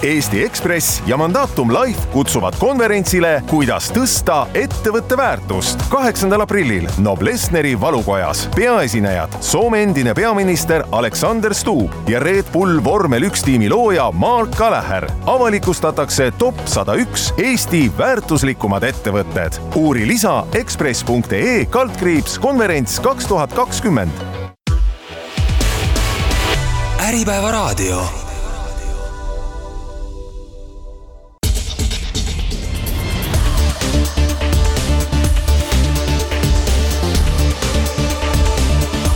Eesti Ekspress ja Mandatum Life kutsuvad konverentsile Kuidas tõsta ettevõtte väärtust 8. aprillil Noblessneri valukojas. Peaesinejad Soome endine peaminister Alexander Stubb ja Red Bull Vormel 1 tiimi looja Mark Gallagher. Avalikustatakse top 101 Eesti väärtuslikumad ettevõtted. Uuri lisa ekspress.ee/konverents 2020. Äripäeva raadio.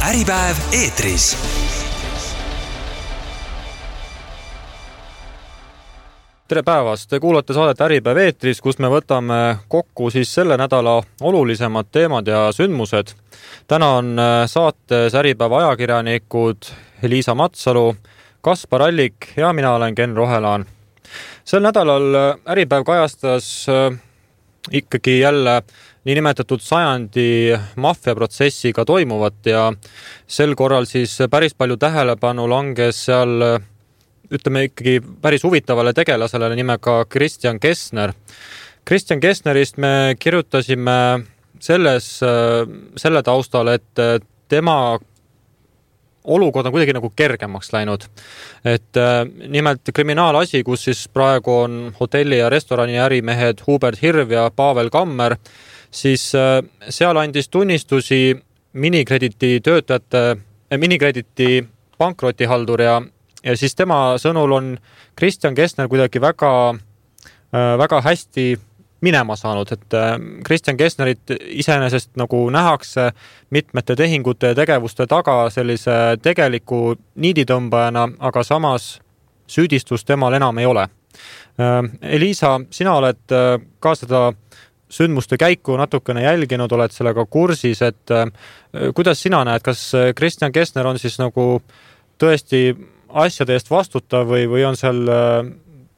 Äripäev eetris. Tere päevast! Te kuulate saadet Äripäev eetris, kus me võtame kokku siis selle nädala olulisemad teemad ja sündmused. Täna on saates Äripäeva ajakirjanikud Liisa Matsalu, Kaspar Allik ja mina olen Ken Rohelaan. Sel nädalal Äripäev kajastas ikkagi jälle niinimetatud sajandi maffiaprotsessiga toimuvat ja sel korral siis päris palju tähelepanu langes seal, ütleme ikkagi päris huvitavale tegelasele nimega Christian Kessner. Christian Kessnerist me kirjutasime selle taustal, et tema olukord on kuidagi nagu kergemaks läinud. Et nimelt kriminaalasi, kus siis praegu on hotelli ja restorani ärimehed Hubert Hirv ja Pavel Kammer, siis seal andis tunnistusi Minikrediti töötajate, Minikrediti pankrotihaldur ja siis tema sõnul on Christian Kessner kuidagi väga hästi minema saanud, et Christian Kessnerit iseenesest nagu nähakse mitmete tehingute ja tegevuste taga sellise tegeliku niiditõmbajana, aga samas süüdistust temal enam ei ole. Liisa, sina oled ka seda sündmuste käiku natukene jälginud, oled sellega kursis, et kuidas sina näed, kas Christian Kessner on siis nagu tõesti asjade eest vastutav või on seal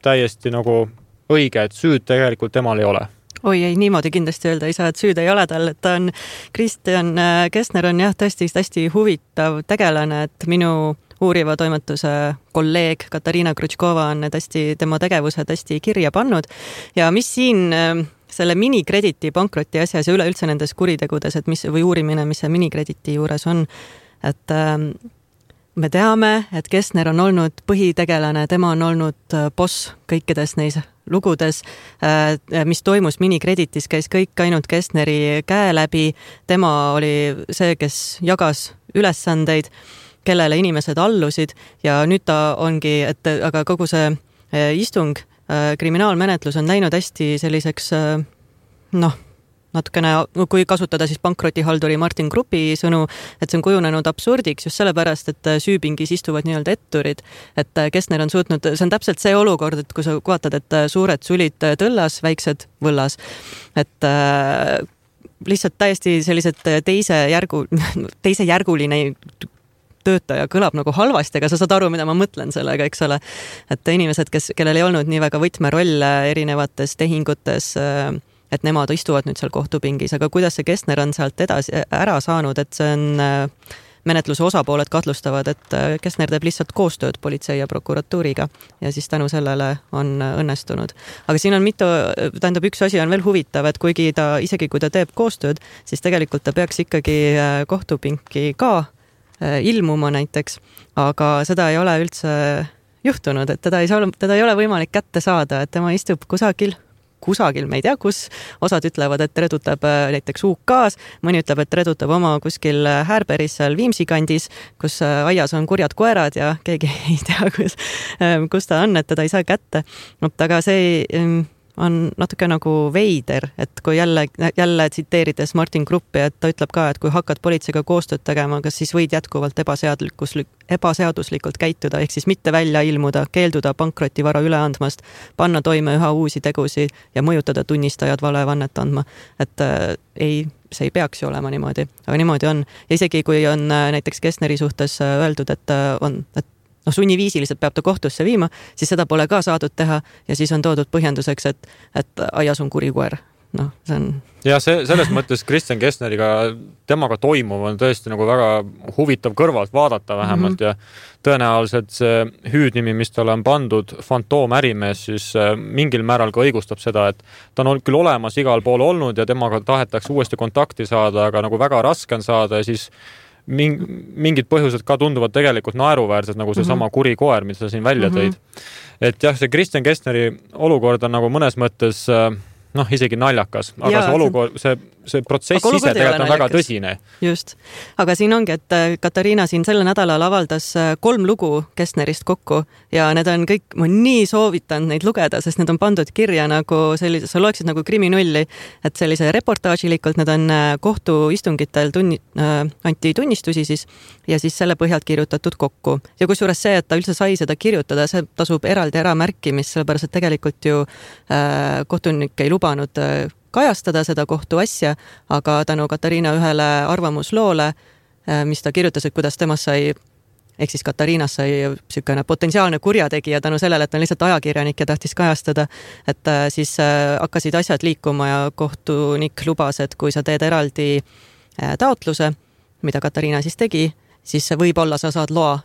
täiesti nagu õige, et süüd tegelikult temal ei ole? Oi, ei, niimoodi kindlasti öelda ei saa, et süüd ei ole tal, et ta on Christian Kessner on jah tõesti hästi huvitav tegelane, et minu uuriva toimetuse kolleeg Katariina Krutškova on tema tegevused hästi kirja pannud ja mis siin selle Minikrediti pankroti asjas ja üleüldse nendes kuritegudes, et või uurimine, mis see Minikrediti juures on, et me teame, et Kessner on olnud põhitegelane, tema on olnud boss kõikides neis lugudes, mis toimus Minikreditis, käis kõik ainult Kessneri käe läbi, tema oli see, kes jagas ülesandeid, kellele inimesed allusid ja nüüd ta ongi, aga kogu see istung, kriminaalmenetlus on läinud hästi selliseks, natukene, kui kasutada siis pankrotihalduri Martin Gruppi sõnu, et see on kujunenud absurdiks just sellepärast, et süüpingis istuvad nii-öelda etturid, et Kessner on suutnud, see on täpselt see olukord, et kui sa vaatad, et suured sulid tõllas, väiksed võllas, et lihtsalt täiesti sellised teisejärguline töötaja kõlab nagu halvasti, aga sa saad aru, mida ma mõtlen sellega, eks ole, et inimesed, kellel ei olnud nii väga võtmerolle erinevates tehingutes, et nemad istuvad nüüd seal kohtupingis, aga kuidas see Kessner on sealt edasi ära saanud, et see on menetluse osapooled katlustavad, et Kessner teeb lihtsalt koostööd politsei ja prokuratuuriga ja siis tänu sellele on õnnestunud. Aga siin on üks asi on veel huvitav, et isegi kui ta teeb koostööd, siis tegelikult ta peaks ikkagi kohtupinki ka ilmuma näiteks, aga seda ei ole üldse juhtunud, et teda ei ole võimalik kätte saada, et tema istub kusagil, me ei tea kus, osad ütlevad, et redutab näiteks UK-s, mõni ütleb, et redutab oma kuskil Härberis seal Viimsi kandis, kus aias on kurjad koerad ja keegi ei tea, kus ta on, et teda ei saa kätte. Aga see on natuke nagu veider, et kui jälle tsiteerides Martin Gruppi, et ta ütleb ka, et kui hakkad politseiga koostööd tegema, kas siis võid jätkuvalt ebaseaduslikult käituda, ehk siis mitte välja ilmuda, keelduda pankrotivara üle andmast, panna toime üha uusi tegusid ja mõjutada tunnistajad valevannet andma. Et see ei peaks ju olema niimoodi, aga niimoodi on. Ja isegi kui on näiteks Kessneri suhtes öeldud, et sunniviisiliselt peab ta kohtusse viima, siis seda pole ka saadud teha ja siis on toodud põhjenduseks, et aias on kuri koer. see on... Ja selles mõttes Kristjan Kestneriga, temaga toimuv on tõesti nagu väga huvitav kõrvalt vaadata vähemalt ja tõenäoliselt see hüüdnimi, mis talle on pandud, fantoomärimees, siis mingil määral ka õigustab seda, et ta on küll olemas igal pool olnud ja temaga tahetakse uuesti kontakti saada, aga nagu väga raske on saada ja siis mingid põhjused ka tunduvad tegelikult naeruväärsed, nagu see sama kuri koer, mis sa siin välja tõid. Et jah, see Kristjan Kestneri olukord on nagu mõnes mõttes isegi naljakas, aga see olukord, see protsess ise tegelikult on väga tõsine. Just. Aga siin ongi, et Katariina siin selle nädalal avaldas 3 lugu Kestnerist kokku ja need on kõik, ma nii soovitan neid lugeda, sest need on pandud kirja nagu sellise, sa loeksid nagu kriminulli, et sellise reportaažilikult need on kohtuistungitel anti tunnistusi siis ja siis selle põhjalt kirjutatud kokku. Ja kusjuures see, et ta üldse sai seda kirjutada, see tasub eraldi ära märkimist, sellepärast et tegelikult ju kohtunik ei lubanud kajastada seda kohtuasja, aga tänu Katariina ühele arvamusloole, mis ta kirjutas, et kuidas temast sai, ehk siis Katariinas sai selline potentsiaalne kurjategija tänu sellele, et on lihtsalt ajakirjanik ja tahtis kajastada, et siis hakkasid asjad liikuma ja kohtunik lubas, et kui sa teed eraldi taotluse, mida Katariina siis tegi, siis võib-olla sa saad loa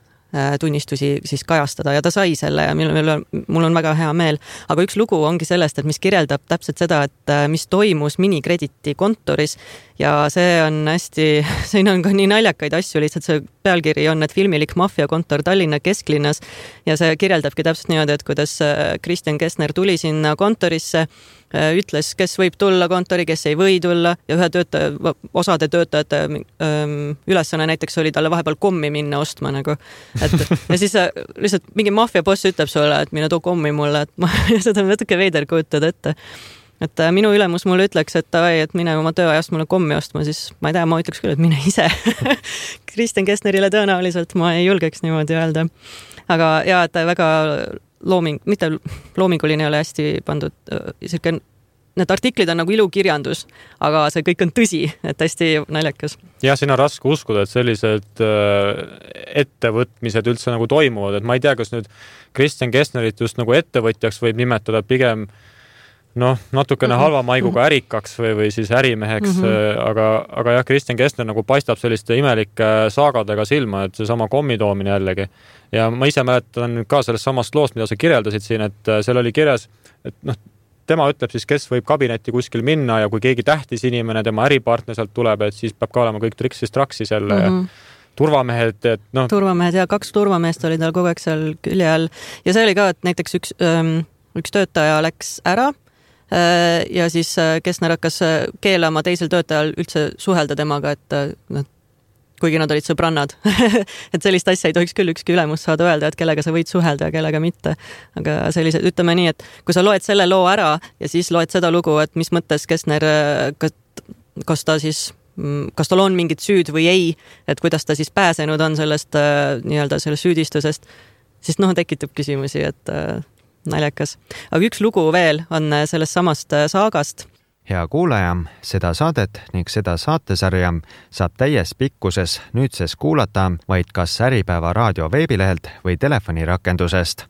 tunnistusi siis kajastada ja ta sai selle ja mul on väga hea meel. Aga üks lugu ongi sellest, et mis kirjeldab täpselt seda, et mis toimus Minikrediti kontoris ja see on hästi, siin on ka nii naljakaid asju, lihtsalt see pealkiri on, et filmilik maffiakontor Tallinna kesklinnas ja see kirjeldabki täpselt niimoodi, et kuidas Kristjan Kestner tuli sinna kontorisse, ütles, kes võib tulla kontori, kes ei või tulla ja osade töötajate ülesanne näiteks oli talle vahepeal kommi minna ostma nagu. Ja siis lihtsalt mingi maffiaboss ütleb sulle, et mine too kommi mulle, et ma seda natuke veider kujutada ette. Et minu ülemus mulle ütleks, et mine oma tööajast mulle kommi ostma, siis ma ei tea, ma ütleks küll, et mine ise. Kristjan Kestnerile tõenäoliselt ma ei julgeks niimoodi öelda. Aga ja, et väga mitte loominguline ei ole hästi pandud, need artiklid on nagu ilukirjandus, aga see kõik on tõsi, et hästi naljakas. Ja siin on raske uskuda, et sellised ettevõtmised üldse nagu toimuvad, et ma ei tea, kas nüüd Kristjan Kestnerit just nagu ettevõtjaks võib nimetada pigem natukene halva maiguga ärikaks või siis ärimeheks, aga jah, Kristjan Kestner nagu paistab selliste imelike saagadega silma, et see sama kommitoomine jällegi. Ja ma ise mäletan ka sellest samast loost, mida sa kirjeldasid siin, et seal oli kirjas, et tema ütleb siis, kes võib kabinetti kuskil minna ja kui keegi tähtis inimene, tema äripartner sealt tuleb, et siis peab ka olema kõik traksis jälle ja turvamehed, et turvamehed ja 2 turvameest oli tal kogu aeg seal külje all ja see oli ka, et näiteks üks töötaja läks ära ja siis Kestner hakkas keelama teisel töötajal üldse suhelda temaga, et kuigi nad olid sõbrannad. Et sellist asja ei tohiks küll ükski ülemus saada öelda, et kellega sa võid suhelda ja kellega mitte. Aga sellised, ütleme nii, et kui sa loed selle loo ära ja siis loed seda lugu, et mis mõttes Kestner, kas tal on mingid süüd või ei, et kuidas ta siis pääsenud on sellest sellest süüdistusest, siis tekitab küsimusi, et naljakas. Aga üks lugu veel on sellest samast saagast. Hea kuulaja, seda saadet ning seda saatesarja saab täies pikkuses nüüdses kuulata vaid kas Äripäeva raadio veebilehelt või telefonirakendusest.